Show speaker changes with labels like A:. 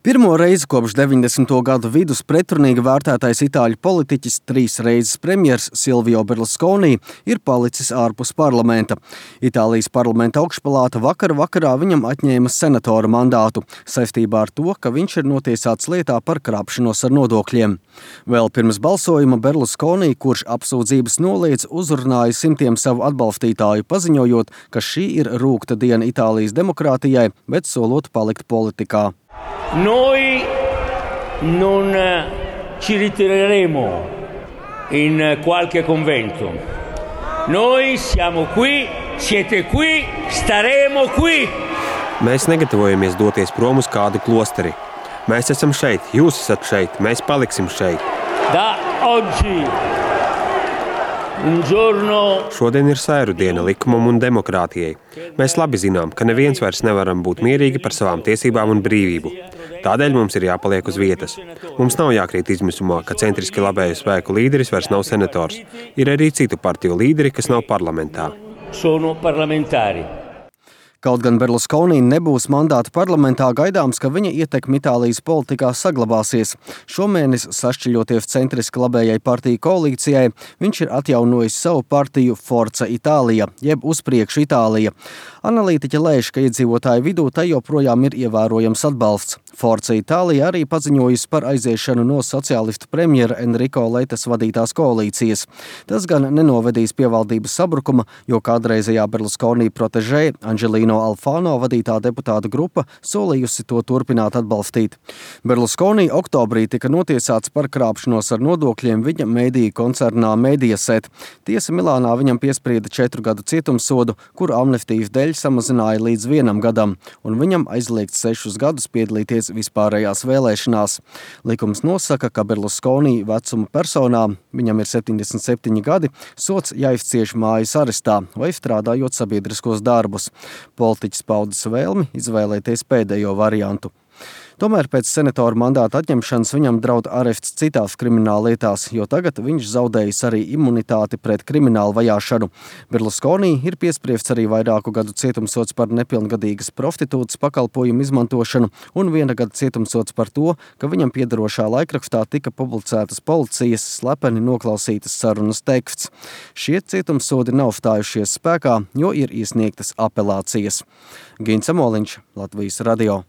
A: Pirmo reizi kopš 90. gadu vidus pretrunīgi vērtētais itāļu politiķis, 3 reizes premjers Silvio Berlusconi ir palicis ārpus parlamenta. Itālijas parlamenta augšpalāta vakarā viņam atņēma senatora mandātu saistībā ar to, ka viņš ir notiesāts lietā par krāpšanos ar nodokļiem. Vēl pirms balsojuma Berlusconi, kurš apsūdzības noliedz, uzrunāja simtiem savu atbalstītāju, paziņojot, ka šī ir rūgta diena Itālijas demokrātijai, bet solot palikt politikā.
B: Noi non ci ritireremo in qualche convento. Noi siamo qui, siete qui, staremo qui.
C: Mēs negatavojamies doties prom uz kādu klosteri. Mēs esam šeit, jūs esat šeit, mēs paliksim šeit.
B: Da oggi un giorno.
C: Šodien ir sēru diena likumam un demokrātijai. Mēs labi zinām, ka neviens vairs nevaram būt mierīgi par savām tiesībām un brīvību. Tādēļ mums ir jāpaliek uz vietas. Mums nav jākrīt izmisumā, ka centriski labējo spēku līderis vairs nav senators. Ir arī citu partiju līderi, kas nav parlamentā.
B: Sono parlamentari.
A: Kaut gan Berlusconi nebūs mandāta parlamentā, gaidāms, ka viņa ietekme Itālijas politikā saglabāsies. Šomēnes, sašķiļoties centriski labējai partiju koalīcijai, viņš ir atjaunojis savu partiju Forza Italia, jeb Uz priekšu Itālija. Analītiķi lēš, ka iedzīvotāju vidū tai joprojām ir ievērojams atbalsts. Forza Italia arī paziņojusi par aiziešanu no sociālistu premjera Enrico Letas vadītās koalīcijas. Tas gan nenovedīs pie valdības sabrukuma, jo kādreizējā Berlusconi protežē Angelino Alfano vadītā deputāta grupa solījusi to turpināt atbalstīt. Berlusconi oktobrī tika notiesāts par krāpšanos ar nodokļiem viņa mediju koncernā Mediaset. Tiesa Milānā viņam piesprieda 4 gadu cietumsodu, kuru amnestijas dēļ samazināja līdz 1 gadam, un viņam aizliegts 6 gadus piedalīties vispārējās vēlēšanās. Likums nosaka, ka Berlusconi vecuma personām, viņam ir 77 gadi, sots jāizcieš mājas arestā vai strādājot sabiedriskos darbus. Politiķis paudis vēlmi izvēlēties pēdējo variantu. Tomēr pēc senatora mandāta atņemšanas viņam draud arests citās krimināllietās, jo tagad viņš zaudējis arī imunitāti pret kriminālu vajāšanu. Berlusconi ir piespriests arī vairāku gadu cietumsods par nepilngadīgas prostitūtas pakalpojumu izmantošanu un 1 gada cietumsods par to, ka viņam piederošā laikrakstā tika publicētas policijas slepeni noklausītas sarunas teksts. Šie cietumsodi nav stājušies spēkā, jo ir iesniegtas apelācijas. Gins Amoliņš, Latvijas radio.